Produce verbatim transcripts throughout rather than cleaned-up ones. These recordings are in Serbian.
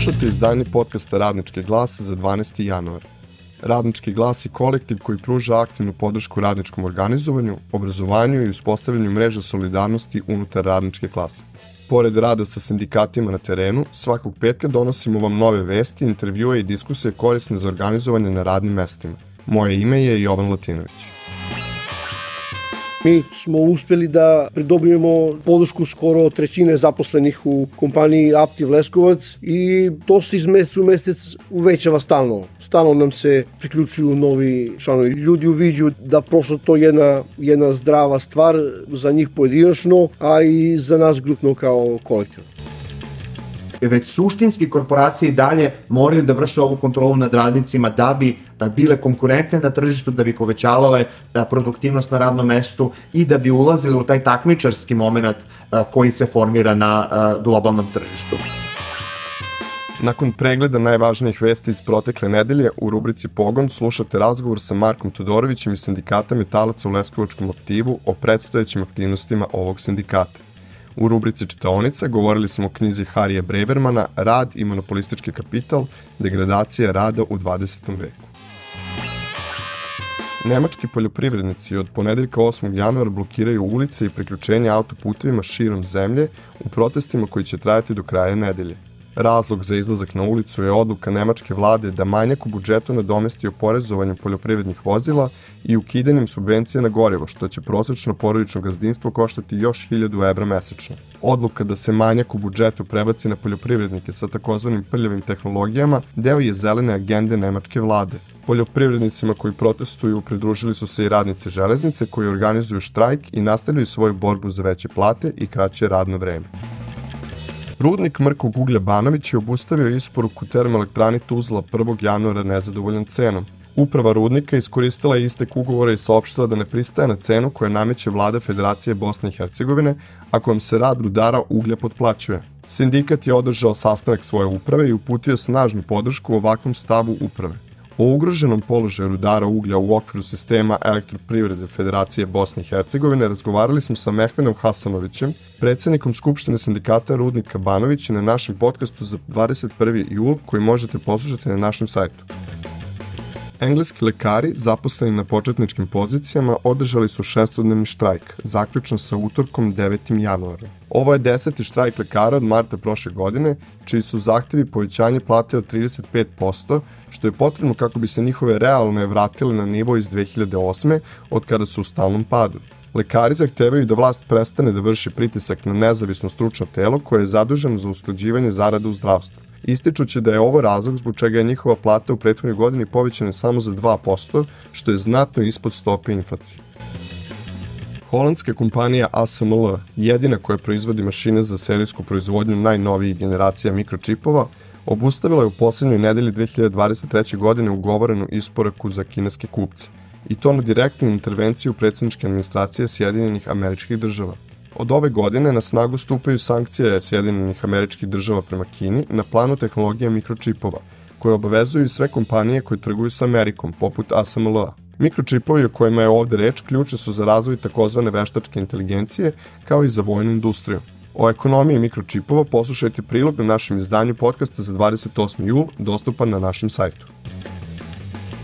Slušate izdanje podcasta Radnički glas za dvanaesti januar. Radnički glas je kolektiv koji pruža aktivnu podršku radničkom organizovanju, obrazovanju i uspostavljanju mreža solidarnosti unutar radničke klase. Pored rada sa sindikatima na terenu, svakog petka donosimo vam nove vesti, intervjue i diskusije korisne za organizovanje na radnim mestima. Moje ime je Jovan Latinović. Mi smo uspeli da pridobijemo podršku skoro trećine zaposlenih u kompaniji Aptiv Leskovac i to se iz meseca u mesec uvećava stalno. Stalno nam se priključuju novi članovi. Ljudi uviđu da prosto to je jedna, jedna zdrava stvar za njih pojedinačno, a i za nas grupno kao kolektiv. Već suštinski korporacije i dalje moraju da vrše ovu kontrolu nad radnicima da bi bile konkurentne na tržištu, da bi povećavale produktivnost na radnom mestu i da bi ulazili u taj takmičarski moment koji se formira na globalnom tržištu. Nakon pregleda najvažnijih vesti iz protekle nedelje, u rubrici Pogon slušate razgovor sa Markom Todorovićem iz Sindikata metalaca u Leskovačkom aktivu o predstojećim aktivnostima ovog sindikata. U rubrici Čitaonica govorili smo o knjizi Harija Brebermana Rad i monopolistički kapital, degradacija rada u dvadesetom veku. Nemački poljoprivrednici od ponedeljka osmog januara blokiraju ulice i priključenje autoputevima širom zemlje u protestima koji će trajati do kraja nedelje. Razlog za izlazak na ulicu je odluka nemačke vlade da manjak u budžetu nadomesti oporezovanjem poljoprivrednih vozila i ukidanjem subvencija na gorivo, što će prosečno porodično gazdinstvo koštati još hiljadu evra mesečno. Odluka da se manjak u budžetu prebaci na poljoprivrednike sa takozvanim prljavim tehnologijama deo je zelene agende nemačke vlade. Poljoprivrednicima koji protestuju pridružili su se i radnice železnice koji organizuju štrajk i nastavljaju svoju borbu za veće plate i kraće radno vreme. Rudnik mrkog uglja Banović je obustavio isporuku termoelektrani Tuzla prvog januara nezadovoljan cenom. Uprava rudnika iskoristila je istek ugovora i saopštila da ne pristaje na cenu koju nameće vlada Federacije Bosne i Hercegovine, a kojom se rad rudara uglja potplaćuje. Sindikat je održao sastanak svoje uprave i uputio snažnu podršku ovakvom stavu uprave. O ugroženom položaju rudara uglja u okviru sistema elektroprivrede Federacije Bosne i Hercegovine razgovarali smo sa Mehmenom Hasanovićem, predsednikom Skupštine sindikata Rudnika Banović na našem podcastu za dvadeset prvi jul koji možete poslušati na našem sajtu. Engleski lekari, zaposleni na početničkim pozicijama, održali su šestodnevni štrajk, zaključno sa utorkom devetim januarom. Ovo je deseti štrajk lekara od marta prošle godine, čiji su zahtevi povećanje plate od trideset pet posto, što je potrebno kako bi se njihove realne vratile na nivo iz dve hiljade osme, od kada su u stalnom padu. Lekari zahtevaju da vlast prestane da vrši pritisak na nezavisno stručno telo koje je zaduženo za usklađivanje zarada u zdravstvu. Ističući da je ovo razlog zbog čega je njihova plata u prethodnoj godini povećana samo za dva posto, što je znatno ispod stope inflacije. Holandska kompanija A S M L, jedina koja proizvodi mašine za serijsku proizvodnju najnovijih generacija mikročipova, obustavila je u poslednjoj nedelji dve hiljade dvadeset treće. godine ugovorenu isporuku za kineske kupce, i to na direktnu intervenciju predsjedničke administracije Sjedinjenih Američkih Država. Od ove godine na snagu stupaju sankcije Sjedinjenih Američkih Država prema Kini na planu tehnologija mikročipova, koje obavezuju sve kompanije koje trguju sa Amerikom, poput A S M L-a. Mikročipovi o kojima je ovde reč ključni su za razvoj takozvane veštačke inteligencije, kao i za vojnu industriju. O ekonomiji mikročipova poslušajte prilog na našem izdanju podcasta za dvadeset osmi jul, dostupan na našem sajtu.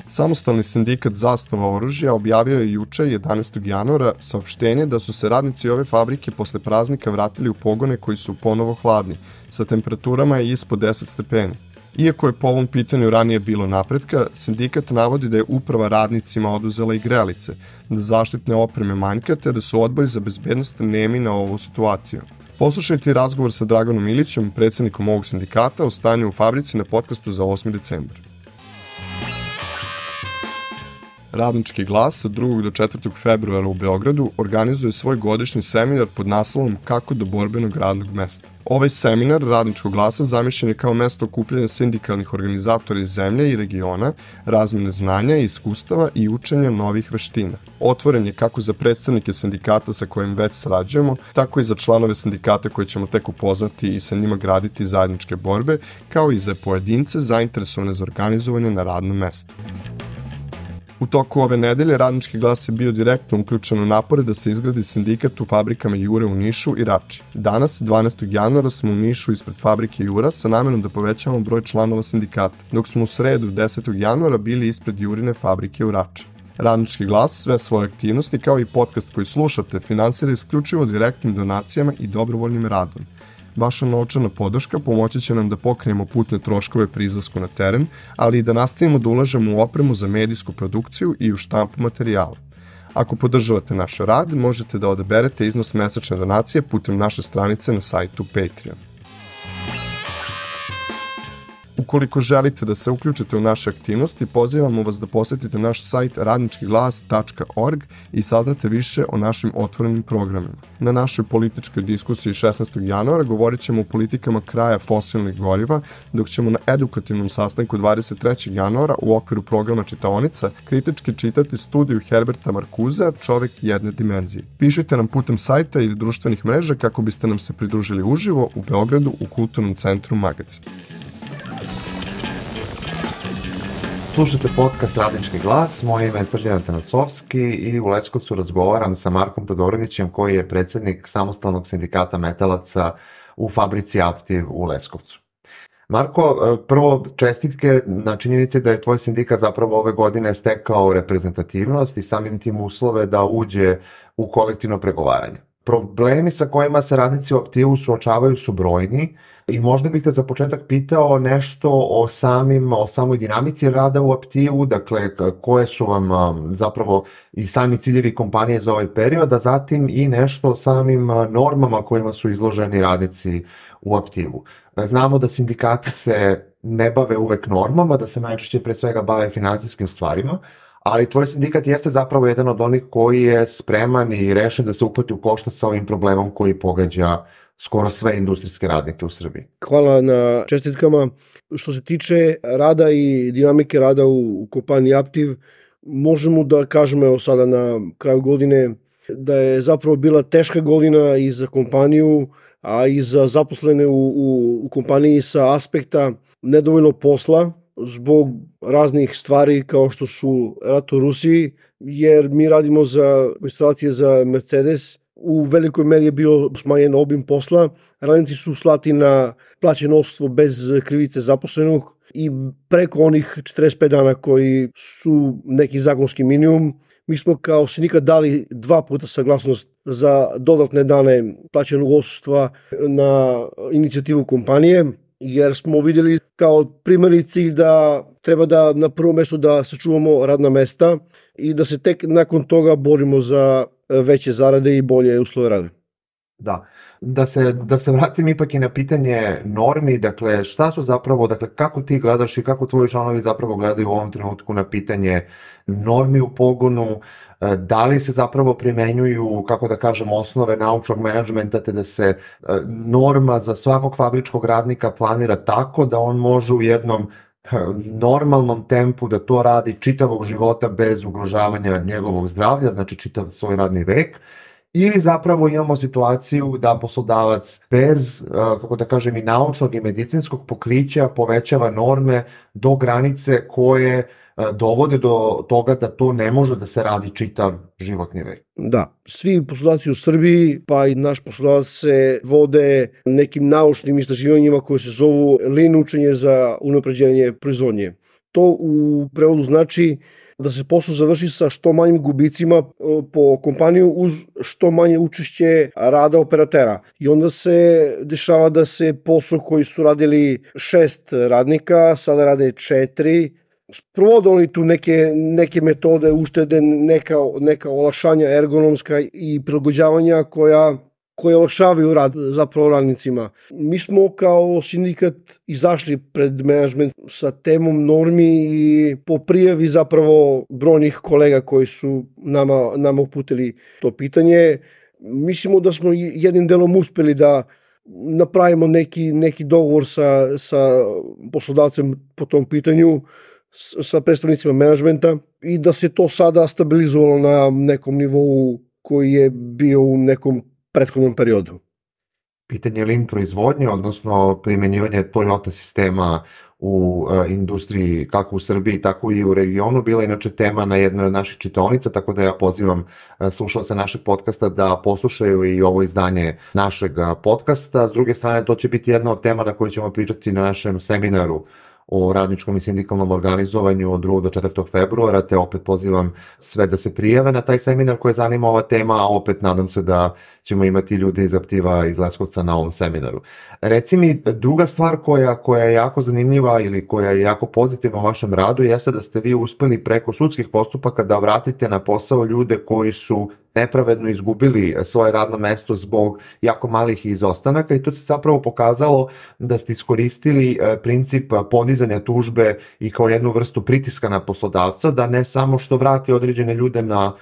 Samostalni sindikat Zastava oružja objavio je juče, jedanaestog januara, saopštenje da su se radnici ove fabrike posle praznika vratili u pogone koji su ponovo hladni, sa temperaturama ispod deset stepeni. Iako je po ovom pitanju ranije bilo napretka, sindikat navodi da je uprava radnicima oduzela i grelice, da zaštitne opreme manjka te da su odbori za bezbednost nemi na ovu situaciju. Poslušajte razgovor sa Draganom Ilićem, predsednikom ovog sindikata, o stanju u fabrici na podcastu za osmi decembar. Radnički glas od drugog do četvrtog februara u Beogradu organizuje svoj godišnji seminar pod naslovom Kako do borbenog radnog mesta. Ovaj seminar Radničkog glasa zamišljen je kao mesto okupljanja sindikalnih organizatora iz zemlje i regiona, razmene znanja i iskustava i učenja novih veština. Otvoren je kako za predstavnike sindikata sa kojim već sarađujemo, tako i za članove sindikata koje ćemo tek upoznati i sa njima graditi zajedničke borbe, kao i za pojedince zainteresovane za organizovanje na radnom mestu. U toku ove nedelje Radnički glas je bio direktno uključen u napore da se izgradi sindikat u fabrikama Jure u Nišu i Rači. Danas, dvanaestog januara, smo u Nišu ispred fabrike Jura sa namerom da povećamo broj članova sindikata, dok smo u sredu desetog januara bili ispred Jurine fabrike u Rači. Radnički glas sve svoje aktivnosti kao i podcast koji slušate finansira isključivo direktnim donacijama i dobrovoljnim radom. Vaša novčana podrška pomoći će nam da pokrijemo putne troškove pri izlasku na teren, ali i da nastavimo da ulažemo u opremu za medijsku produkciju i u štampu materijala. Ako podržavate naš rad, možete da odaberete iznos mesečne donacije putem naše stranice na sajtu Patreon. Ukoliko želite da se uključite u naše aktivnosti, pozivamo vas da posetite naš sajt radnički glas tačka org i saznate više o našim otvorenim programima. Na našoj političkoj diskusiji šesnaestog januara govorit ćemo o politikama kraja fosilnih goriva, dok ćemo na edukativnom sastanku dvadeset trećeg januara u okviru programa Čitaonica kritički čitati studiju Herberta Marcusea Čovek jedne dimenzije. Pišite nam putem sajta ili društvenih mreža kako biste nam se pridružili uživo u Beogradu u Kulturnom centru Magacin. Slušate podcast Radnički glas, moje ime je Srđan Tanasovski i u Leskovcu razgovaram sa Markom Todorovićem koji je predsjednik samostalnog sindikata metalaca u fabrici Aptiv u Leskovcu. Marko, prvo čestitke na činjenici da je tvoj sindikat zapravo ove godine stekao reprezentativnost i samim tim uslove da uđe u kolektivno pregovaranje. Problemi sa kojima se radnici u Aptivu suočavaju su brojni i možda bih te za početak pitao nešto o samim, o samoj dinamici rada u Aptivu, dakle koje su vam zapravo i sami ciljevi kompanije za ovaj period, a zatim i nešto o samim normama kojima su izloženi radnici u Aptivu. Znamo da sindikati se ne bave uvek normama, da se najčešće pre svega bave finansijskim stvarima, ali tvoj sindikat jeste zapravo jedan od onih koji je spreman i rešen da se uhvati u koštac sa ovim problemom koji pogađa skoro sve industrijske radnike u Srbiji. Hvala na čestitkama. Što se tiče rada i dinamike rada u, u kompaniji Aptiv, možemo da kažemo evo sada na kraju godine da je zapravo bila teška godina i za kompaniju, a i za zaposlene u, u, u kompaniji sa aspekta nedovoljno posla, zbog raznih stvari kao što su rat u Rusiji, jer mi radimo za instalacije za Mercedes. U velikoj meri je bio smanjen obim posla, radnici su slati na plaćenostvo bez krivice zaposlenog i preko onih četrdeset pet dana koji su neki zakonski minimum. Mi smo kao sindikat dali dva puta saglasnost za dodatne dane plaćenog odsustva na inicijativu kompanije, jer smo vidjeli kao primarni cilj da treba da na prvom mjestu da sačuvamo radna mesta i da se tek nakon toga borimo za veće zarade i bolje uslove rada. Da, da se, da se vratim ipak i na pitanje normi, dakle šta su zapravo, dakle kako ti gledaš i kako tvoji članovi zapravo gledaju u ovom trenutku na pitanje normi u pogonu, da li se zapravo primenjuju, kako da kažem, osnove naučnog menadžmenta, te da se norma za svakog fabričkog radnika planira tako da on može u jednom normalnom tempu da to radi čitavog života bez ugrožavanja njegovog zdravlja, znači čitav svoj radni vek, ili zapravo imamo situaciju da poslodavac bez, kako da kažem, i naučnog i medicinskog pokrića povećava norme do granice koje dovode do toga da to ne može da se radi čitav životni vek. Da, svi poslodavci u Srbiji, pa i naš poslodavac se vode nekim naučnim istraživanjima koje se zovu lean učenje za unapređenje proizvodnje. To u prevodu znači da se posao završi sa što manjim gubicima po kompaniju uz što manje učešće rada operatera. I onda se dešava da se posao koji su radili šest radnika, sada rade četiri. Sprovode oni tu neke, neke metode uštede, neka, neka olakšanja ergonomska i prilagođavanja koja, koje olakšavaju rad zapravo radnicima. Mi smo kao sindikat izašli pred menadžment sa temom normi i po prijavi zapravo brojnih kolega koji su nama, nama uputili to pitanje. Mislimo da smo jednim delom uspeli da napravimo neki, neki dogovor sa, sa poslodavcem po tom pitanju, sa predstavnicima menadžmenta i da se to sada stabilizovalo na nekom nivou koji je bio u nekom prethodnom periodu. pitanje lean proizvodnje, odnosno primjenjivanje Toyota sistema u uh, industriji kako u Srbiji, tako i u regionu, bila inače tema na jednoj od naših čitaonica, tako da ja pozivam uh, slušalce našeg podcasta da poslušaju i ovo izdanje našeg uh, podcasta. S druge strane, to će biti jedna od tema na kojoj ćemo pričati na našem seminaru o radničkom i sindikalnom organizovanju od drugog do četvrtog februara, te opet pozivam sve da se prijave na taj seminar koje zanima ova tema, a opet nadam se da ćemo imati ljude iz Aptiva iz Leskovca na ovom seminaru. Reci mi, druga stvar koja, koja je jako zanimljiva ili koja je jako pozitivna u vašem radu jeste da ste vi uspeli preko sudskih postupaka da vratite na posao ljude koji su nepravedno izgubili svoje radno mesto zbog jako malih izostanaka i to se zapravo pokazalo da ste iskoristili princip podizanja tužbe i kao jednu vrstu pritiska na poslodavca, da ne samo što vrati određene ljude na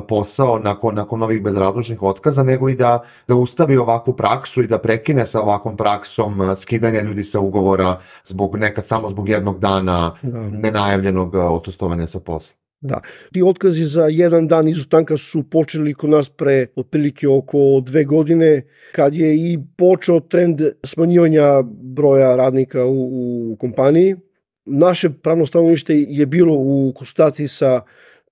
posao nakon, nakon ovih bezrazložnih otkaza, nego i da, da ustavi ovakvu praksu i da prekine sa ovakvom praksom skidanja ljudi sa ugovora zbog nekad samo zbog jednog dana da. nenajavljenog odsustovanja sa posla. Da, ti otkazi za jedan dan izostanka su počeli kod nas pre otprilike oko dve godine, kad je i počeo trend smanjivanja broja radnika u, u kompaniji. Naše pravno stanovnište je bilo u konsultaciji sa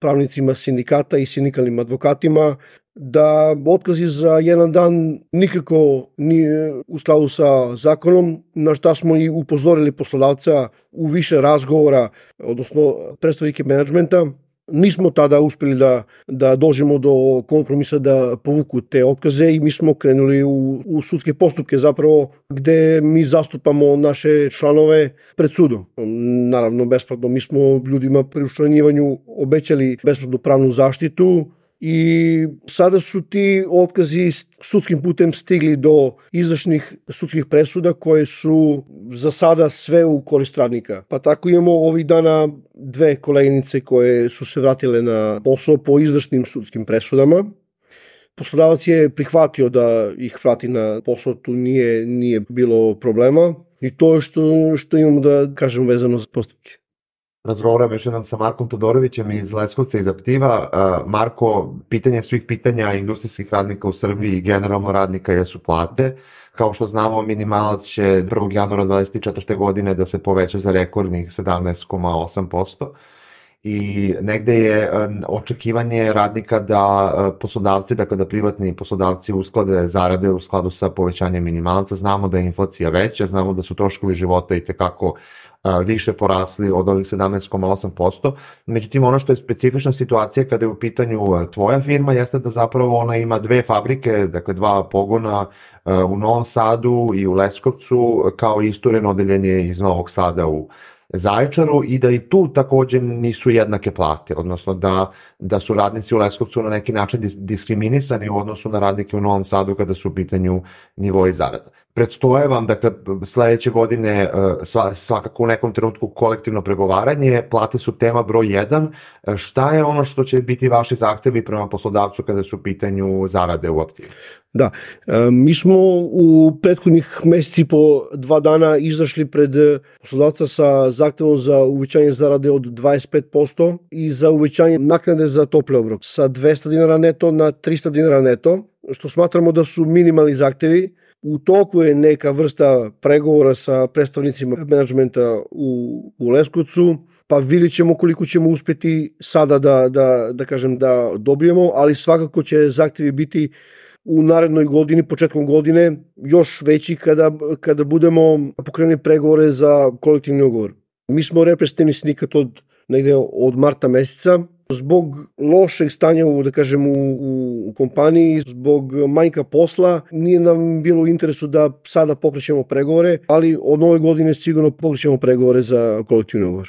pravnicima sindikata i sindikalnim advokatima da otkazi za jedan dan nikako nije u skladu sa zakonom, na šta smo i upozorili poslodavca u više razgovora, odnosno predstavnike menadžmenta. Nismo tada uspeli da, da dođemo do kompromisa da povuku te otkaze i mi smo krenuli u, u sudske postupke zapravo gde mi zastupamo naše članove pred sudom. Naravno besplatno, mi smo ljudima pri učlanjivanju obećali besplatnu pravnu zaštitu i sada su ti otkazi sudskim putem stigli do izvršnih sudskih presuda koje su za sada sve u korist radnika. Pa tako imamo ovih dana dve koleginice koje su se vratile na posao po izvršnim sudskim presudama. Poslodavac je prihvatio da ih vrati na posao, tu nije, nije bilo problema i to je što, što imamo da kažem vezano za postupke. Razgovaram još jednom sa Markom Todorovićem iz Leskovca iz Aptiva. Marko, pitanje svih pitanja industrijskih radnika u Srbiji i generalno radnika jesu plate. Kao što znamo, minimalac će prvog januara dvadeset četvrte godine da se poveća za rekordnih sedamnaest zarez osam posto. I negde je očekivanje radnika da poslodavci, dakle da privatni poslodavci usklade zarade u skladu sa povećanjem minimalca. Znamo da je inflacija veća, znamo da su troškovi života i tekako više porasli od ovih sedamnaest zarez osam posto. Međutim, ono što je specifična situacija kada je u pitanju tvoja firma jeste da zapravo ona ima dve fabrike, dakle dva pogona u Novom Sadu i u Leskovcu, kao i istureno odeljenje iz Novog Sada u Zaječaru i da i tu takođe nisu jednake plate, odnosno da, da su radnici u Leskovcu na neki način diskriminisani u odnosu na radnike u Novom Sadu kada su u pitanju nivoji zarada. Predstoje vam, dakle, sledeće godine svakako u nekom trenutku kolektivno pregovaranje, plate su tema broj jedan. Šta je ono što će biti vaši zahtevi prema poslodavcu kada su u pitanju zarade u Aptivi? Da, mi smo u prethodnih meseci po dva dana izašli pred poslodavca sa zahtevom za uvećanje zarade od dvadeset pet posto i za uvećanje naknade za topli obrok sa dvesta dinara neto na trista dinara neto, što smatramo da su minimalni zahtevi. U toku je neka vrsta pregovora sa predstavnicima menadžmenta u, u Leskovcu, pa vidjet ćemo koliko ćemo uspeti sada da, da, da kažem da dobijemo, ali svakako će zahtevi biti u narednoj godini, početkom godine, još veći kada, kada budemo pokrenuli pregovore za kolektivni ugovor. Mi smo reprezentativni sindikat od negde od marta meseca. Zbog lošeg stanja u, da kažem, u, u kompaniji, zbog manjka posla, nije nam bilo u interesu da sada pokrećemo pregovore, ali od nove godine sigurno pokrećemo pregovore za kolektivni ugovor.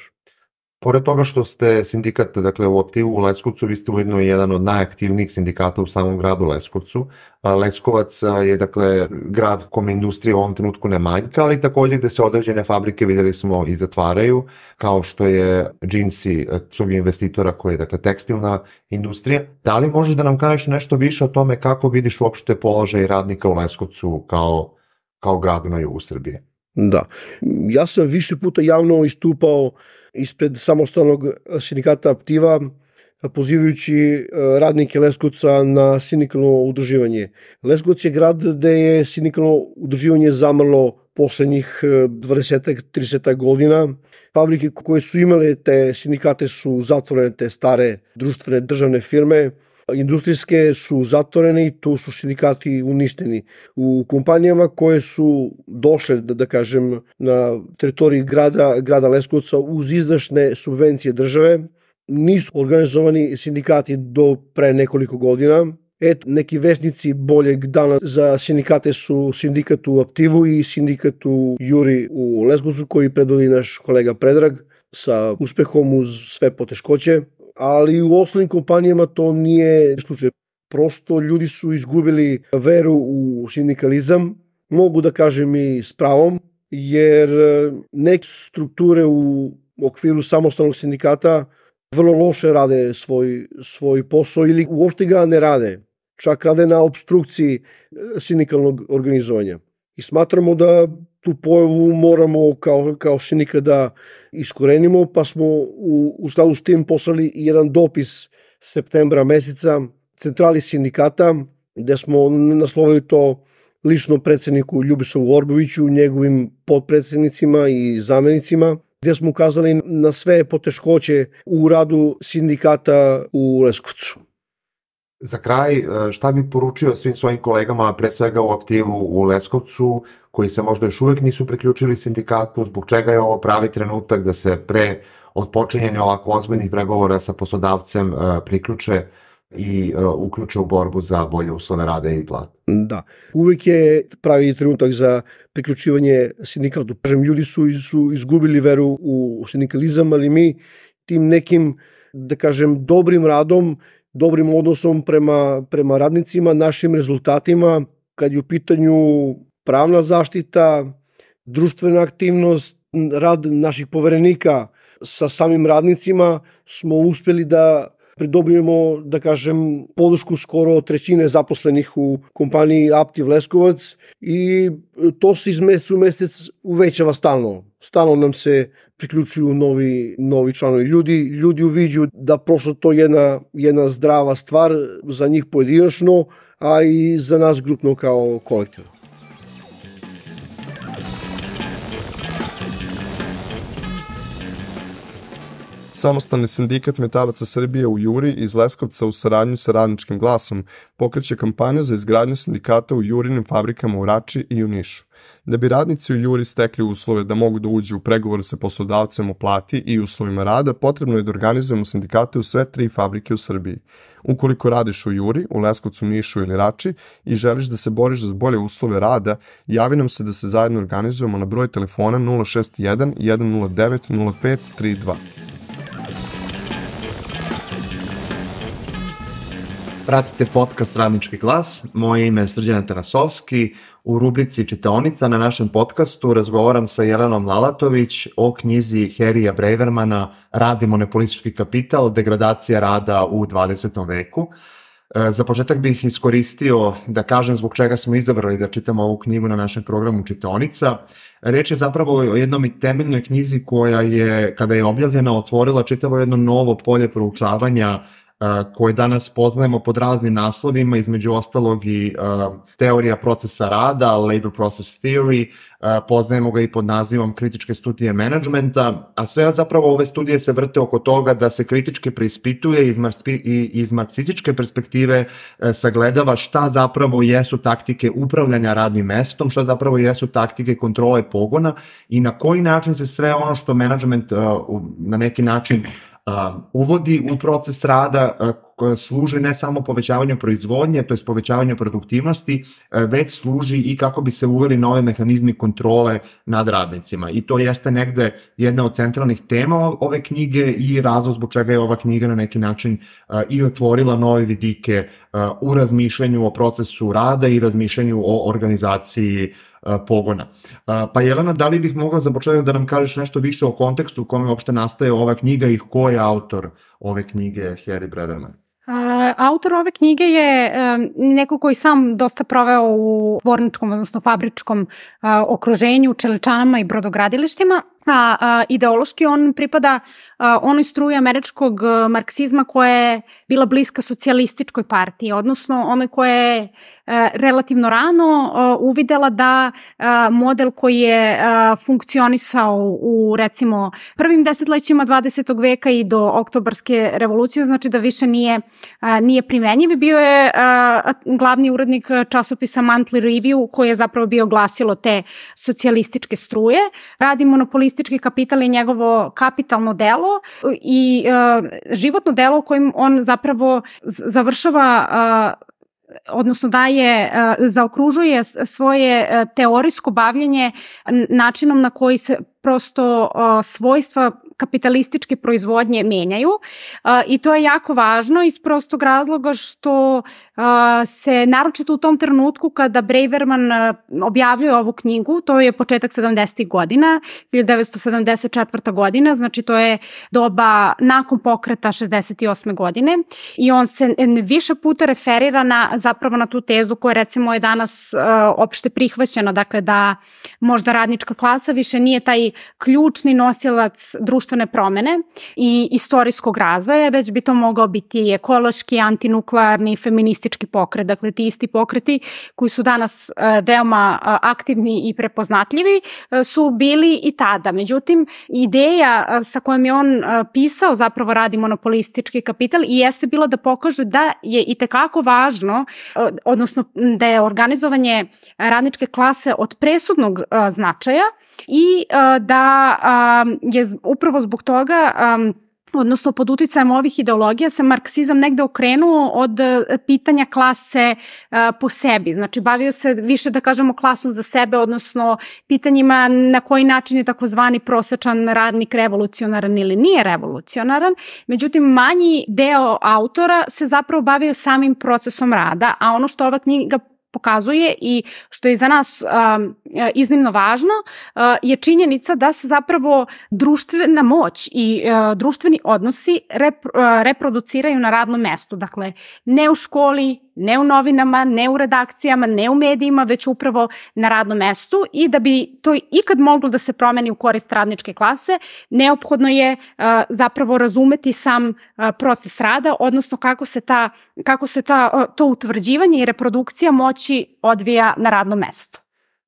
Pored toga što ste sindikat, dakle u Aptivu u Leskovcu, vi ste ujedno jedan od najaktivnijih sindikata u samom gradu Leskovcu. Leskovac je, dakle, grad kome industrija u ovom trenutku ne manjka, ali takođe gde se određene fabrike, videli smo, i zatvaraju, kao što je Džinsi, svog investitora koji je, dakle, tekstilna industrija. Da li možeš da nam kažeš nešto više o tome kako vidiš uopšte položaj radnika u Leskovcu kao, kao gradu na jugu Srbije? Da, ja sam više puta javno istupao ispred samostalnog sindikata Aptiva pozivajući radnike Leskovca na sindikalno udruživanje. Leskovac je grad gde je sindikalno udruživanje zamrlo poslednjih dvadeset trideset godina. Fabrike koje su imale te sindikate su zatvorene, te stare društvene državne firme. Industrijske su zatvorene i tu su sindikati uništeni. U kompanijama koje su došle, da, da kažem, na teritoriji grada, grada Leskovca uz izdašne subvencije države, nisu organizovani sindikati do pre nekoliko godina. Et, neki vesnici boljeg dana za sindikate su sindikat u Aptivu i sindikat u Juri u Leskovcu, koji predvodi naš kolega Predrag sa uspehom uz sve poteškoće. Ali u ostalim kompanijama to nije slučaj. Prosto ljudi su izgubili veru u sindikalizam, mogu da kažem i s pravom, jer neke strukture u okviru samostalnog sindikata vrlo loše rade svoj, svoj posao ili uopšte ga ne rade. Čak rade na obstrukciji sindikalnog organizovanja. I smatramo da tu pojavu moramo kao, kao sindikat da iskorenimo, pa smo u, u skladu s tim poslali jedan dopis septembra meseca centrali sindikata, gde smo naslovili to lično predsedniku Ljubisavu Orboviću, njegovim potpredsednicima i zamenicima, gde smo ukazali na sve poteškoće u radu sindikata u Leskovcu. Za kraj, šta bi poručio svim svojim kolegama, pre svega u Aptivu u Leskovcu, koji se možda još uvek nisu priključili sindikatu, zbog čega je ovo pravi trenutak da se pre odpočinjanja ovako ozbiljnih pregovora sa poslodavcem priključe i uključe u borbu za bolje uslove rada i plate? Da, uvek je pravi trenutak za priključivanje sindikatu. Ljudi su, su izgubili veru u sindikalizam, ali mi tim nekim, da kažem, dobrim radom, dobrim odnosom prema, prema radnicima, našim rezultatima, kad je u pitanju pravna zaštita, društvena aktivnost, rad naših poverenika sa samim radnicima, smo uspeli da pridobijemo, da kažem, podršku skoro trećine zaposlenih u kompaniji Aptiv Leskovac i to se iz meseca u mesec uvećava stalno. Stalno nam se priključuju novi, novi članovi. Ljudi, ljudi uviđu da prosto to je jedna, jedna zdrava stvar za njih pojedinačno, a i za nas grupno kao kolektiv. Samostalni sindikat metalaca Srbije u Juri iz Leskovca u saradnju sa Radničkim glasom pokreće kampanju za izgradnju sindikata u Jurinim fabrikama u Rači i u Nišu. Da bi radnici u Juri stekli uslove da mogu da uđu u pregovore sa poslodavcem o plati i uslovima rada, potrebno je da organizujemo sindikate u sve tri fabrike u Srbiji. Ukoliko radiš u Juri, u Leskovcu, Nišu ili Rači i želiš da se boriš za bolje uslove rada, javi nam se da se zajedno organizujemo na broj telefona nula šest jedan, jedan nula devet, nula pet tri dva. Pratite podcast Radnički glas, moje ime je Srđan Atanasovski. U rubrici Čitaonica na našem podcastu razgovaram sa Jelenom Lalatović o knjizi Harryja Bravermana Rad i monopolistički kapital, degradacija rada u dvadesetom veku. Za početak bih iskoristio da kažem zbog čega smo izabrali da čitamo ovu knjigu na našem programu Čitaonica. Reč je zapravo o jednom i temeljnoj knjizi koja je, kada je objavljena, otvorila čitavo jedno novo polje proučavanja koje danas poznajemo pod raznim naslovima, između ostalog i uh, teorija procesa rada, labor process theory, uh, poznajemo ga i pod nazivom kritičke studije menadžmenta, a sve zapravo ove studije se vrte oko toga da se kritički preispituje iz, marspi, i iz marksističke perspektive uh, sagledava šta zapravo jesu taktike upravljanja radnim mestom, šta zapravo jesu taktike kontrole pogona i na koji način se sve ono što menadžment uh, na neki način Uh, uvodi u proces rada uh, koja služi ne samo povećavanju proizvodnje, to je povećavanju produktivnosti, uh, već služi i kako bi se uveli nove mehanizmi kontrole nad radnicima. I to jeste negde jedna od centralnih tema ove knjige i razlog zbog čega je ova knjiga na neki način uh, i otvorila nove vidike uh, u razmišljanju o procesu rada i razmišljanju o organizaciji pogona. Pa Jelena, da li bih mogla za početak da nam kažeš nešto više o kontekstu u kome uopšte nastaje ova knjiga i ko je autor ove knjige Harry Braverman? Autor ove knjige je neko koji sam dosta proveo u tvorničkom, odnosno fabričkom okruženju, čeličanama i brodogradilištima a, a ideološki on pripada a, onoj struji američkog a, marksizma koja je bila bliska socijalističkoj partiji, odnosno onoj koja je a, relativno rano a, uvidela da a, model koji je a, funkcionisao u recimo prvim desetlećima dvadesetog veka i do oktobarske revolucije, znači da više nije, a, nije primenjiv. Bio je a, glavni urednik časopisa Monthly Review koji je zapravo bio glasilo te socijalističke struje. Radi monopolistički kapital je njegovo kapitalno delo i uh, životno delo u kojim on zapravo završava uh, odnosno daje, uh, zaokružuje svoje uh, teorijsko bavljenje načinom na koji se prosto uh, svojstva kapitalističke proizvodnje menjaju uh, i to je jako važno iz prostog razloga što uh, se naročito u tom trenutku kada Braverman uh, objavljuje ovu knjigu, to je početak sedamdesetih godina, hiljadu devetsto sedamdeset četvrta godina, znači to je doba nakon pokreta šezdeset osme godine i on se više puta referira na, zapravo na tu tezu koja recimo je danas uh, opšte prihvaćena, dakle da možda radnička klasa više nije taj ključni nosilac društvene promene i istorijskog razvoja, već bi to mogao biti ekološki, antinuklearni, feministički pokret. Dakle, ti isti pokreti koji su danas veoma aktivni i prepoznatljivi su bili i tada. Međutim, ideja sa kojom je on pisao zapravo Radi monopolistički kapital i jeste bila da pokaže da je itekako važno, odnosno da je organizovanje radničke klase od presudnog značaja i da je upravo zbog toga, um, odnosno pod uticajem ovih ideologija se marksizam negde okrenuo od pitanja klase uh, po sebi. Znači bavio se više da kažemo klasom za sebe, odnosno pitanjima na koji način je takozvani prosečan radnik revolucionaran ili nije revolucionaran. Međutim, manji deo autora se zapravo bavio samim procesom rada, a ono što ova knjiga pokazuje i što je za nas um, iznimno važno uh, je činjenica da se zapravo društvena moć i uh, društveni odnosi rep, uh, reproduciraju na radnom mestu. Dakle, ne u školi, ne u novinama, ne u redakcijama, ne u medijima, već upravo na radnom mestu i da bi to ikad moglo da se promeni u korist radničke klase, neophodno je uh, zapravo razumeti sam uh, proces rada, odnosno kako se, ta, kako se ta, uh, to utvrđivanje i reprodukcija moći odvija na radnom mestu.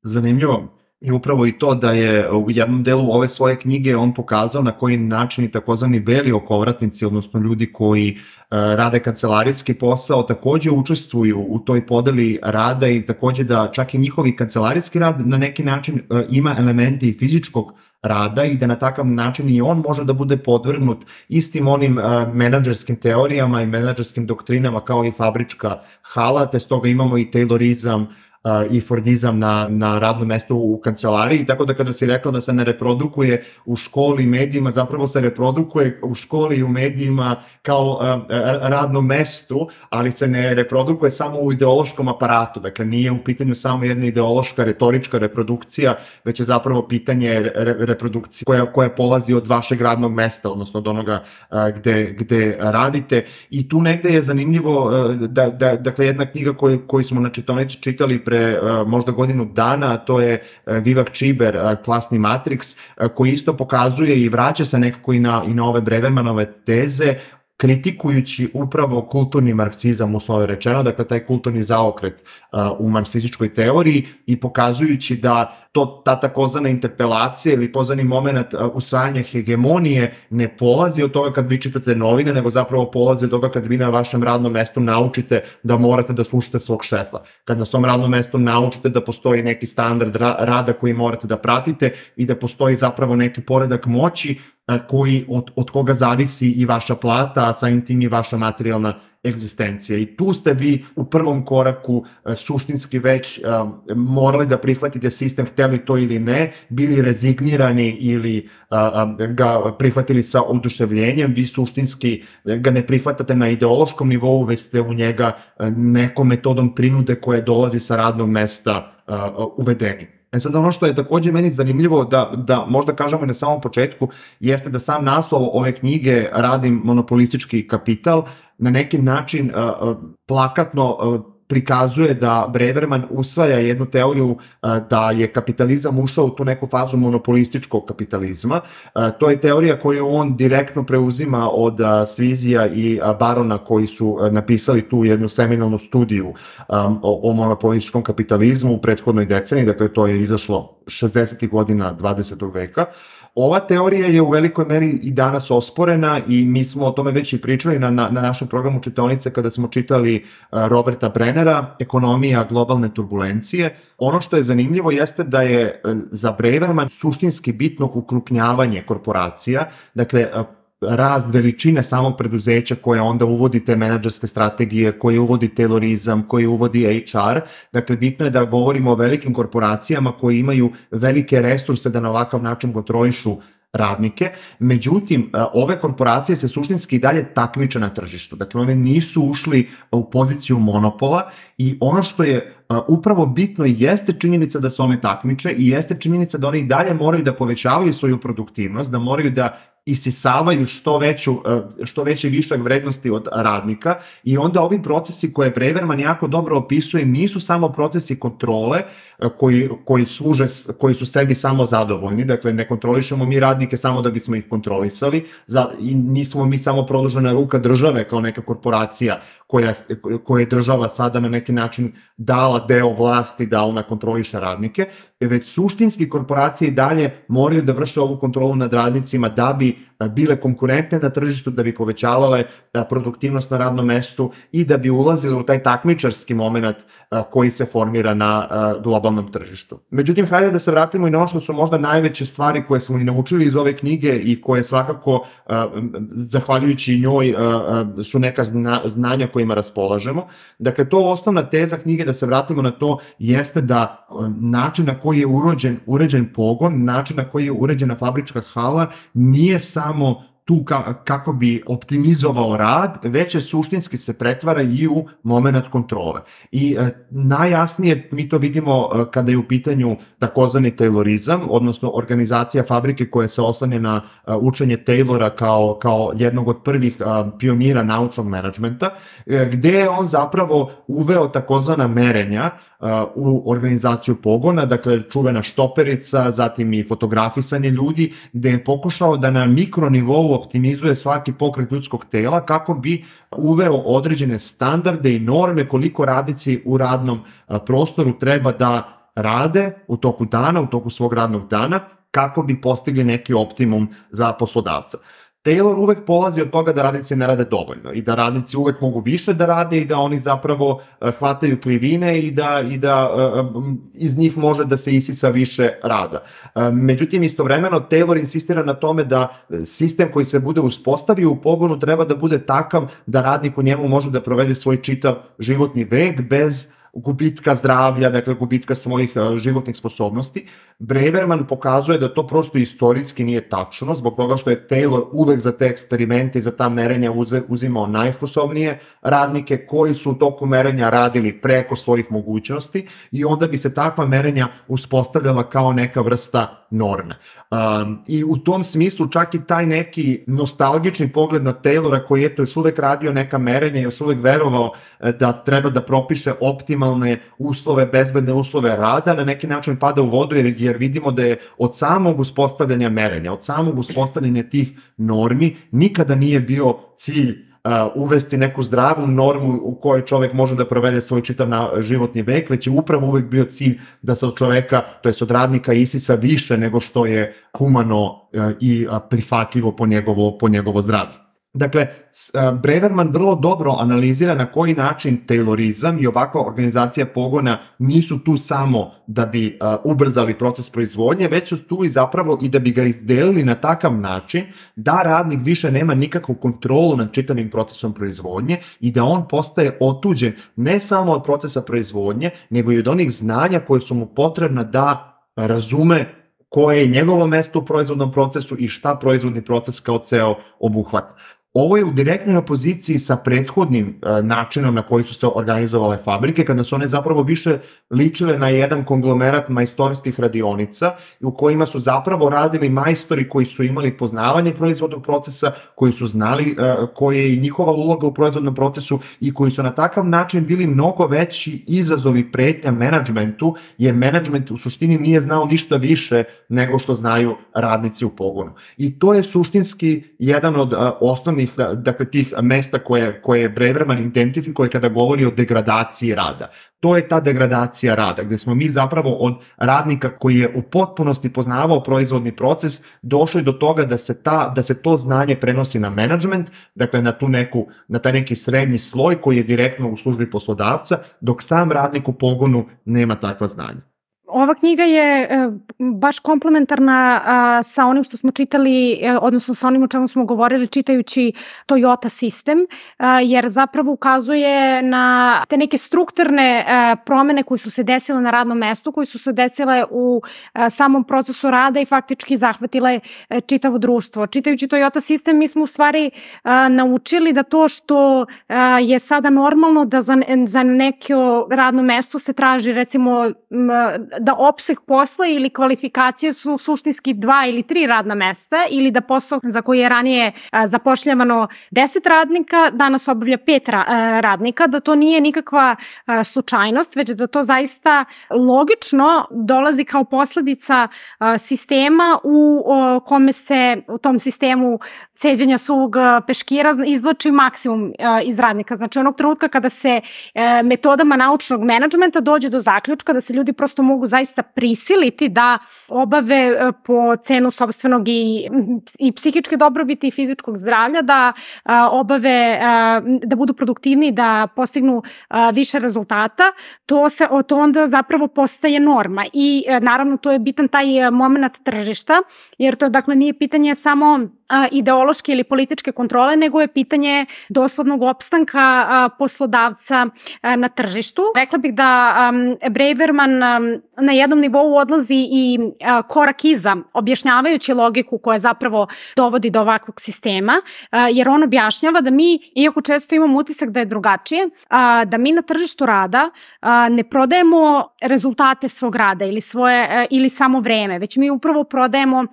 Zanimljivo. I upravo i to da je u jednom delu ove svoje knjige on pokazao na koji način i takozvani beli okovratnici, odnosno ljudi koji uh, rade kancelarijski posao, takođe učestvuju u toj podeli rada i takođe da čak i njihovi kancelarijski rad na neki način uh, ima elementi i fizičkog rada i da na takav način i on može da bude podvrgnut istim onim uh, menadžerskim teorijama i menadžerskim doktrinama kao i fabrička hala, te stoga imamo i Taylorizam i Fordizam na, na radnom mestu u kancelariji, tako da kada si rekla da se ne reprodukuje u školi i medijima, zapravo se reprodukuje u školi i u medijima kao uh, radno mestu, ali se ne reprodukuje samo u ideološkom aparatu, dakle nije u pitanju samo jedna ideološka, retorička reprodukcija, već je zapravo pitanje re, reprodukcije koja, koja polazi od vašeg radnog mesta, odnosno od onoga uh, gde, gde radite i tu negde je zanimljivo uh, da, da, dakle jedna knjiga koju, koju smo na čitaonici čitali pre uh, možda godinu dana, a to je uh, Vivek Čiber, uh, Klasni Matriks, uh, koji isto pokazuje i vraća se nekako i na, i na ove Bravermanove teze, kritikujući upravo kulturni marksizam, uslovno rečeno, dakle taj kulturni zaokret uh, u marksističkoj teoriji i pokazujući da to, ta takozvana interpelacija ili pozvani moment uh, usvajanja hegemonije ne polazi od toga kad vi čitate novine, nego zapravo polazi od toga kad vi na vašem radnom mestu naučite da morate da slušate svog šefa. Kad na svom radnom mestu naučite da postoji neki standard ra- rada koji morate da pratite i da postoji zapravo neki poredak moći koji, od, od koga zavisi i vaša plata, a samim tim i vaša materijalna egzistencija. I tu ste vi u prvom koraku suštinski već um, morali da prihvatite sistem, hteli to ili ne, bili rezignirani ili um, ga prihvatili sa oduševljenjem, vi suštinski ga ne prihvatate na ideološkom nivou, već ste u njega nekom metodom prinude koje dolazi sa radnog mesta uh, uvedeni. E sad ono što je takođe meni zanimljivo da, da možda kažemo na samom početku jeste da sam naslov ove knjige Radim monopolistički kapital na neki način uh, plakatno uh, prikazuje da Breverman usvaja jednu teoriju da je kapitalizam ušao u tu neku fazu monopolističkog kapitalizma. To je teorija koju on direktno preuzima od Svizija i Barona koji su napisali tu jednu seminalnu studiju o monopolističkom kapitalizmu u prethodnoj deceniji, dakle to je izašlo šezdesetih godina dvadesetog veka. Ova teorija je u velikoj meri i danas osporena i mi smo o tome već i pričali na, na, na našem programu čitaonice kada smo čitali Roberta Brennera, Ekonomija globalne turbulencije. Ono što je zanimljivo jeste da je za Breverman suštinski bitno ukrupnjavanje korporacija, dakle rast veličine samog preduzeća koje onda uvodi te menadžerske strategije, koje uvodi taylorizam, koje uvodi H R. Dakle, bitno je da govorimo o velikim korporacijama koji imaju velike resurse da na ovakav način kontrolišu radnike. Međutim, ove korporacije se suštinski i dalje takmiče na tržištu. Dakle, one nisu ušli u poziciju monopola i ono što je upravo bitno jeste činjenica da se one takmiče i jeste činjenica da one i dalje moraju da povećavaju svoju produktivnost, da moraju da isisavaju što, veću, što veće višak vrednosti od radnika i onda ovi procesi koje Breverman jako dobro opisuje nisu samo procesi kontrole koji, koji, služe, koji su sebi samo zadovoljni, dakle ne kontrolišemo mi radnike samo da bismo ih kontrolisali za, i nismo mi samo produžena ruka države kao neka korporacija koja, koja je država sada na neki način dala deo vlasti da ona kontroliše radnike, već suštinski korporacije i dalje moraju da vrše ovu kontrolu nad radnicima da bi bile konkurentne na tržištu, da bi povećavale produktivnost na radnom mestu i da bi ulazile u taj takmičarski moment koji se formira na globalnom tržištu. Međutim, hajde da se vratimo i na ono što su možda najveće stvari koje smo i naučili iz ove knjige i koje svakako, zahvaljujući njoj, su neka znanja kojima raspolažemo. Dakle, to osnovna teza knjige, da se vratimo na to, jeste da način na koji je uređen, uređen pogon, način na koji je uređena fabrička hala, nije samo tu ka, kako bi optimizovao rad, već je suštinski se pretvara i u moment kontrole. I e, najjasnije mi to vidimo e, kada je u pitanju takozvani taylorizam, odnosno organizacija fabrike koja se oslanja na e, učenje Taylora kao, kao jednog od prvih e, pionira naučnog menadžmenta, e, gde je on zapravo uveo takozvana merenja u organizaciju pogona, dakle čuvena štoperica, zatim i fotografisanje ljudi, gde je pokušao da na mikronivou optimizuje svaki pokret ljudskog tela kako bi uveo određene standarde i norme koliko radnici u radnom prostoru treba da rade u toku dana, u toku svog radnog dana, kako bi postigli neki optimum za poslodavca. Taylor uvek polazi od toga da radnici ne rade dovoljno i da radnici uvek mogu više da rade i da oni zapravo hvataju krivine i da, i da iz njih može da se isisa više rada. Međutim, istovremeno Taylor insistira na tome da sistem koji se bude uspostavio u pogonu treba da bude takav da radnik u njemu može da provede svoj čitav životni vek bez gubitka zdravlja, dakle gubitka svojih životnih sposobnosti. Breverman pokazuje da to prosto istorijski nije tačno, zbog toga što je Taylor uvek za te eksperimente i za ta merenja uzimao najsposobnije radnike koji su u toku merenja radili preko svojih mogućnosti i onda bi se takva merenja uspostavljala kao neka vrsta norme. Um, I u tom smislu čak i taj neki nostalgični pogled na Taylora koji je to još uvek radio neka merenja, još uvek verovao da treba da propiše optimalne uslove, bezbedne uslove rada, na neki način pada u vodu jer, jer vidimo da je od samog uspostavljanja merenja, od samog uspostavljanja tih normi nikada nije bio cilj Uh, uvesti neku zdravu normu u kojoj čovek može da provede svoj čitav na, životni vek, već je upravo uvek bio cilj da se od čoveka, to jest od radnika isisa više nego što je humano uh, i uh, prihvatljivo po njegovo, po njegovo zdravlje. Dakle, Breverman vrlo dobro analizira na koji način taylorizam i ovakva organizacija pogona nisu tu samo da bi ubrzali proces proizvodnje, već su tu i zapravo i da bi ga izdelili na takav način da radnik više nema nikakvu kontrolu nad čitavim procesom proizvodnje i da on postaje otuđen ne samo od procesa proizvodnje, nego i od onih znanja koje su mu potrebna da razume koje je njegovo mesto u proizvodnom procesu i šta proizvodni proces kao ceo obuhvata. Ovo je u direktnoj opoziciji sa prethodnim uh, načinom na koji su se organizovale fabrike, kada su one zapravo više ličile na jedan konglomerat majstorskih radionica u kojima su zapravo radili majstori koji su imali poznavanje proizvodnog procesa, koji su znali uh, koja je i njihova uloga u proizvodnom procesu i koji su na takav način bili mnogo veći izazovi pretnja menadžmentu, jer menadžment u suštini nije znao ništa više nego što znaju radnici u pogonu. I to je suštinski jedan od uh, osnovnih dakle tih mesta koje, koje Braverman identifikuje kada govori o degradaciji rada. To je ta degradacija rada, gde smo mi zapravo od radnika koji je u potpunosti poznavao proizvodni proces došli do toga da se, ta, da se to znanje prenosi na menadžment, dakle na, tu neku, na taj neki srednji sloj koji je direktno u službi poslodavca, dok sam radnik u pogonu nema takva znanja. Ova knjiga je baš komplementarna sa onim što smo čitali, odnosno sa onim o čemu smo govorili čitajući Toyota sistem, jer zapravo ukazuje na te neke strukturne promene koje su se desile na radnom mestu, koje su se desile u samom procesu rada i faktički zahvatile čitavo društvo. Čitajući Toyota sistem mi smo u stvari naučili da to što je sada normalno da za, za neko radno mesto se traži recimo da opseg posla ili kvalifikacije su suštinski dva ili tri radna mesta ili da posao za koji je ranije a, zapošljavano deset radnika, danas obavlja pet ra, a, radnika, da to nije nikakva a, slučajnost, već da to zaista logično dolazi kao posledica a, sistema u o, kome se u tom sistemu ceđenja suvog peškira izvlači maksimum a, iz radnika. Znači onog trenutka kada se a, metodama naučnog menadžmenta dođe do zaključka da se ljudi prosto mogu zaista prisiliti da obave po cenu sopstvenog i, i psihičke dobrobiti i fizičkog zdravlja, da a, obave, a, da budu produktivni, da postignu a, više rezultata, to, se, to onda zapravo postaje norma. I a, naravno to je bitan taj moment tržišta, jer to dakle nije pitanje samo ideološke ili političke kontrole, nego je pitanje doslovnog opstanka poslodavca na tržištu. Rekla bih da Braverman na jednom nivou odlazi i korak iza, objašnjavajući logiku koja zapravo dovodi do ovakvog sistema, jer on objašnjava da mi, iako često imamo utisak da je drugačije, da mi na tržištu rada ne prodajemo rezultate svog rada ili, svoje, ili samo vreme, već mi upravo prodajemo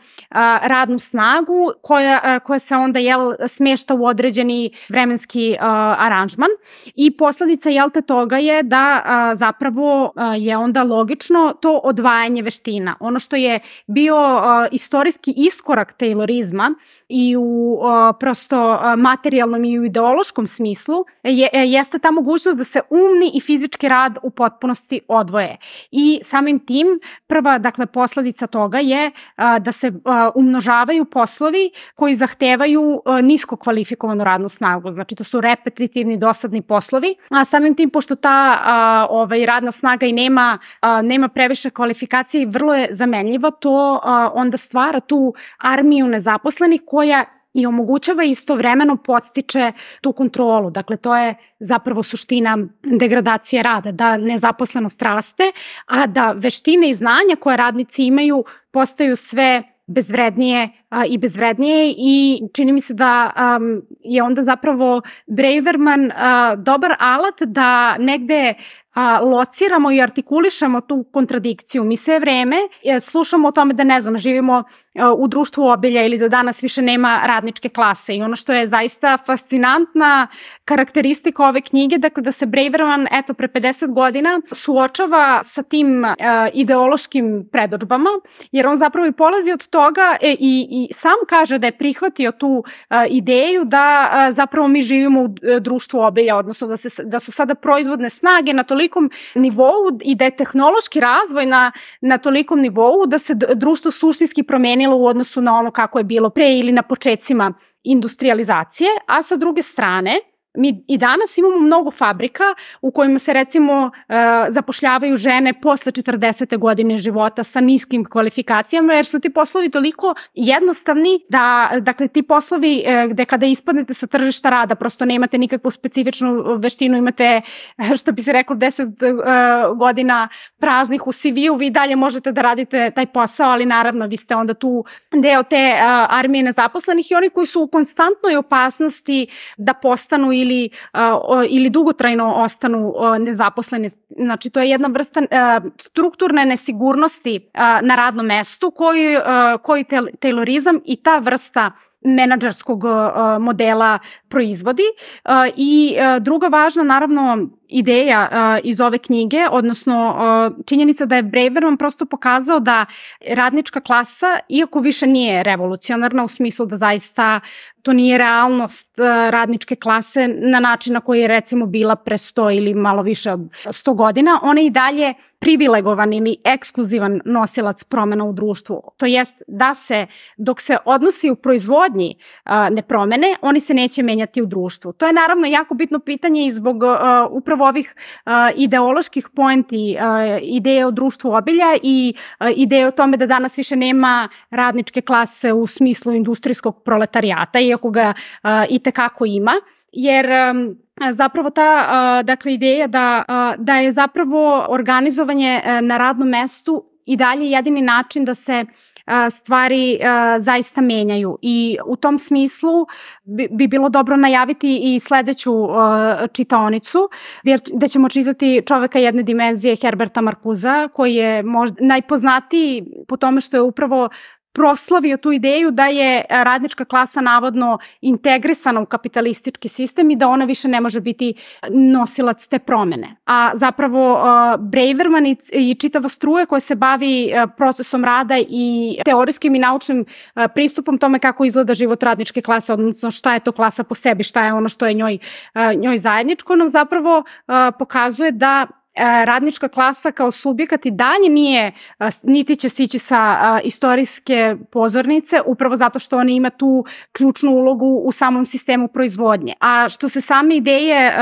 radnu snagu koja koja se onda jel, smešta u određeni vremenski uh, aranžman i posledica jel te toga je da uh, zapravo uh, je onda logično to odvajanje veština. Ono što je bio uh, istorijski iskorak taylorizma i u uh, prosto uh, materijalnom i u ideološkom smislu je, jeste ta mogućnost da se umni i fizički rad u potpunosti odvoje. I samim tim prva dakle posledica toga je uh, da se uh, umnožavaju poslovi koji zahtevaju uh, nisko kvalifikovanu radnu snagu. Znači to su repetitivni, dosadni poslovi. A samim tim, pošto ta uh, ovaj, radna snaga i nema, uh, nema previše kvalifikacije i vrlo je zamenljiva, to uh, onda stvara tu armiju nezaposlenih koja i omogućava istovremeno podstiče tu kontrolu. Dakle, to je zapravo suština degradacije rada, da nezaposlenost raste, a da veštine i znanja koje radnici imaju postaju sve bezvrednije a, i bezvrednije i čini mi se da um, je onda zapravo Braverman a, dobar alat da negde a, lociramo i artikulišemo tu kontradikciju. Mi sve vreme e, slušamo o tome da ne znam, živimo e, u društvu obilja ili da danas više nema radničke klase i ono što je zaista fascinantna karakteristika ove knjige, dakle da se Braverman eto pre pedeset godina suočava sa tim e, ideološkim predodžbama, jer on zapravo i polazi od toga e, i, i sam kaže da je prihvatio tu e, ideju da e, zapravo mi živimo u e, društvu obilja, odnosno da, se, da su sada proizvodne snage na tolikom nivou i da je tehnološki razvoj na, na tolikom nivou da se društvo suštinski promenilo u odnosu na ono kako je bilo pre ili na počecima industrializacije, a sa druge strane Mi i danas imamo mnogo fabrika u kojima se recimo zapošljavaju žene posle četrdesete godine života sa niskim kvalifikacijama, jer su ti poslovi toliko jednostavni da, dakle, ti poslovi gde kada ispadnete sa tržišta rada prosto nemate nikakvu specifičnu veštinu, imate, što bi se reklo, deset godina praznih u C V-u, vi dalje možete da radite taj posao, ali naravno vi ste onda tu deo te armije nezaposlenih i oni koji su u konstantnoj opasnosti da postanu ili, uh, ili dugotrajno ostanu uh, nezaposleni. Znači, to je jedna vrsta uh, strukturne nesigurnosti uh, na radnom mestu koji, uh, koji taylorizam i ta vrsta menadžerskog uh, modela proizvodi. Uh, I uh, druga važna, naravno, ideja uh, iz ove knjige, odnosno uh, činjenica da je Braverman prosto pokazao da radnička klasa, iako više nije revolucionarna u smislu da zaista to nije realnost uh, radničke klase na način na koji je recimo bila pre sto ili malo više od sto godina, ona je i dalje privilegovan ili ekskluzivan nosilac promena u društvu. To jest da se, dok se odnosi u proizvodnji uh, ne promene, oni se neće menjati u društvu. To je naravno jako bitno pitanje i zbog uh, upravo ovih uh, ideoloških poenti, uh, ideje o društvu obilja i uh, ideje o tome da danas više nema radničke klase u smislu industrijskog proletarijata, iako ga uh, i tekako ima, jer um, zapravo ta uh, dakle, ideja da, uh, da je zapravo organizovanje uh, na radnom mestu i dalje jedini način da se stvari uh, zaista menjaju i u tom smislu bi, bi bilo dobro najaviti i sledeću uh, čitaonicu jer da ćemo čitati Čoveka jedne dimenzije Herberta Marcusa koji je možda najpoznatiji po tome što je upravo proslavio tu ideju da je radnička klasa navodno integrisana u kapitalistički sistem i da ona više ne može biti nosilac te promene. A zapravo uh, Braverman i, i čitava struja koja se bavi uh, procesom rada i teorijskim i naučnim uh, pristupom tome kako izgleda život radničke klase, odnosno šta je to klasa po sebi, šta je ono što je njoj, uh, njoj zajedničko, nam zapravo uh, pokazuje da radnička klasa kao subjekat i dalje nije, niti će sići sa istorijske pozornice, upravo zato što ona ima tu ključnu ulogu u samom sistemu proizvodnje. A što se same ideje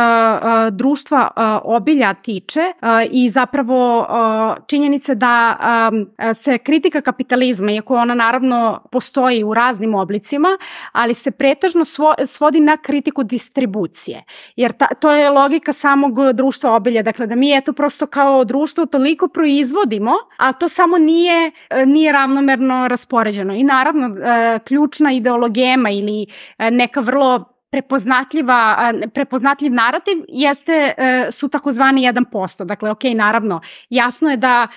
društva obilja tiče i zapravo činjenice da se kritika kapitalizma, iako ona naravno postoji u raznim oblicima, ali se pretežno svodi na kritiku distribucije. Jer ta, to je logika samog društva obilja, dakle da mi eto prosto kao društvo toliko proizvodimo, a to samo nije, nije ravnomerno raspoređeno. I naravno, ključna ideologema ili neka vrlo prepoznatljiva, prepoznatljiv narativ jeste, su takozvani jedan posto. Dakle, ok, naravno, jasno je da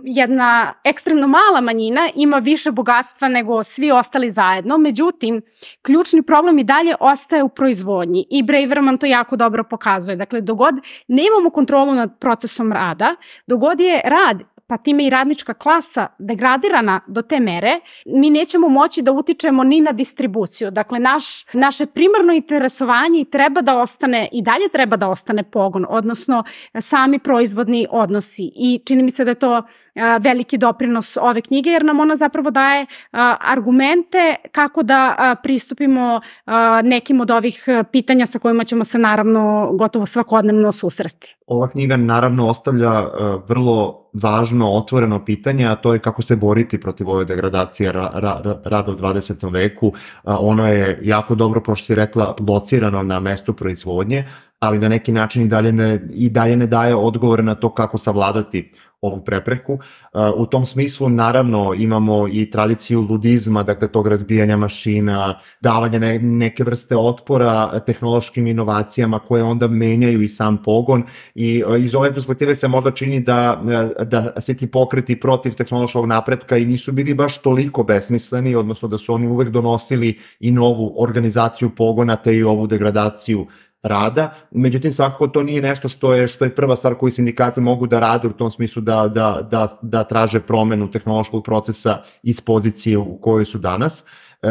jedna ekstremno mala manjina ima više bogatstva nego svi ostali zajedno, međutim, ključni problem i dalje ostaje u proizvodnji i Braverman to jako dobro pokazuje. Dakle, dogod nemamo kontrolu nad procesom rada, dogod je rad pa time i radnička klasa degradirana do te mere, mi nećemo moći da utičemo ni na distribuciju. Dakle, naš, naše primarno interesovanje i treba da ostane, i dalje treba da ostane pogon, odnosno sami proizvodni odnosi. I čini mi se da je to a, veliki doprinos ove knjige, jer nam ona zapravo daje a, argumente kako da a, pristupimo a, nekim od ovih pitanja sa kojima ćemo se naravno gotovo svakodnevno susresti. Ova knjiga naravno ostavlja uh, vrlo važno otvoreno pitanje, a to je kako se boriti protiv ove degradacije ra, ra, rada u dvadesetom veku. Uh, ono je jako dobro, kao što si rekla, locirano na mestu proizvodnje, ali na neki način i dalje ne, i dalje ne daje odgovore na to kako savladati ovu prepreku. U tom smislu, naravno, imamo i tradiciju ludizma, dakle tog razbijanja mašina, davanja ne, neke vrste otpora tehnološkim inovacijama koje onda menjaju i sam pogon i iz ove perspektive se možda čini da, da svi ti pokreti protiv tehnološkog napretka i nisu bili baš toliko besmisleni, odnosno da su oni uvek donosili i novu organizaciju pogona te i ovu degradaciju rada. Međutim, svakako to nije nešto što je, što je prva stvar koju sindikati mogu da rade u tom smislu da, da, da, da traže promenu tehnološkog procesa iz pozicije u kojoj su danas.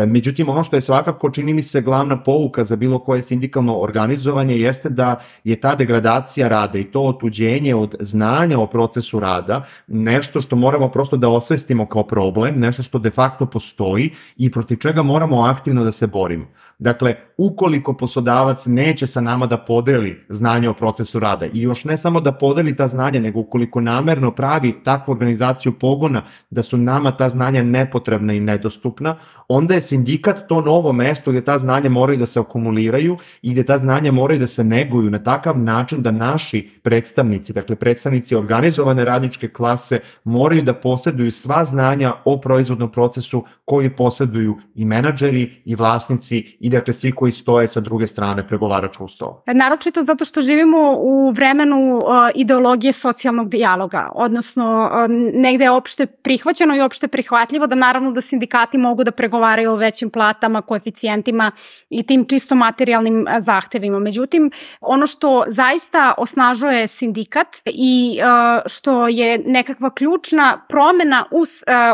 Međutim, ono što je svakako, čini mi se, glavna pouka za bilo koje sindikalno organizovanje jeste da je ta degradacija rada i to otuđenje od znanja o procesu rada nešto što moramo prosto da osvestimo kao problem, nešto što de facto postoji i protiv čega moramo aktivno da se borimo. Dakle, ukoliko poslodavac neće sa nama da podeli znanje o procesu rada i još ne samo da podeli ta znanja, nego ukoliko namerno pravi takvu organizaciju pogona da su nama ta znanja nepotrebna i nedostupna, onda je sindikat to novo mesto gde ta znanja moraju da se akumuliraju i gde ta znanja moraju da se neguju na takav način da naši predstavnici, dakle predstavnici organizovane radničke klase, moraju da posjeduju sva znanja o proizvodnom procesu koji posjeduju i menadžeri i vlasnici i dakle svi koji stoje sa druge strane pregovaračkog stola. Naročito zato što živimo u vremenu uh, ideologije socijalnog dijaloga, odnosno uh, negde je opšte prihvaćeno i opšte prihvatljivo da naravno da sindikati mogu da pregovaraju o većim platama, koeficijentima i tim čisto materijalnim uh, zahtevima. Međutim, ono što zaista osnažuje sindikat i uh, što je nekakva ključna promena u uh,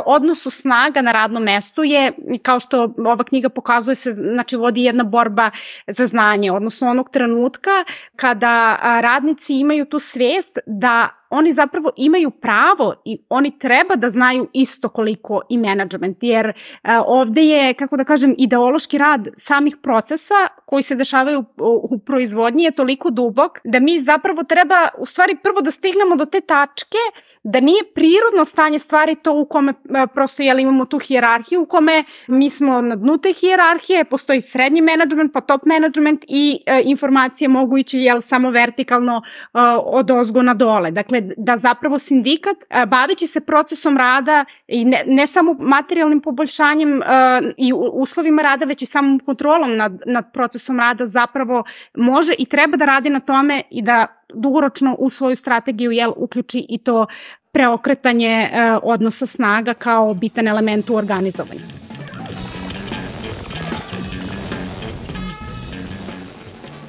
odnosu snaga na radnom mestu je, kao što ova knjiga pokazuje se, znači vodi jedna borba za znanje, odnosno onog trenutka kada radnici imaju tu svest da oni zapravo imaju pravo i oni treba da znaju isto koliko i menadžment, jer uh, ovde je, kako da kažem, ideološki rad samih procesa koji se dešavaju u, u proizvodnji je toliko dubok da mi zapravo treba u stvari prvo da stignemo do te tačke da nije prirodno stanje stvari to u kome uh, prosto jel, imamo tu hijerarhiju u kome mi smo na dnu te hijerarhije, postoji srednji menadžment pa top menadžment i uh, informacije mogu ići jel, samo vertikalno uh, od ozgo na dole. Dakle, da zapravo sindikat, baveći se procesom rada i ne, ne samo materijalnim poboljšanjem uh, i uslovima rada, već i samom kontrolom nad, nad procesom rada zapravo može i treba da radi na tome i da dugoročno u svoju strategiju jel, uključi i to preokretanje uh, odnosa snaga kao bitan element u organizovanju.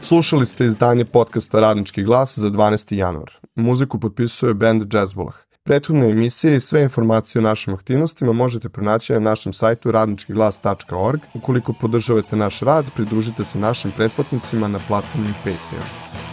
Slušali ste izdanje podcasta Radnički glas za dvanaesti januar. Muziku potpisuje band Jazzbolah. Prethodne emisije i sve informacije o našim aktivnostima možete pronaći na našem sajtu radnički glas tačka org. Ukoliko podržavate naš rad, pridružite se našim pretplatnicima na platformi Patreon.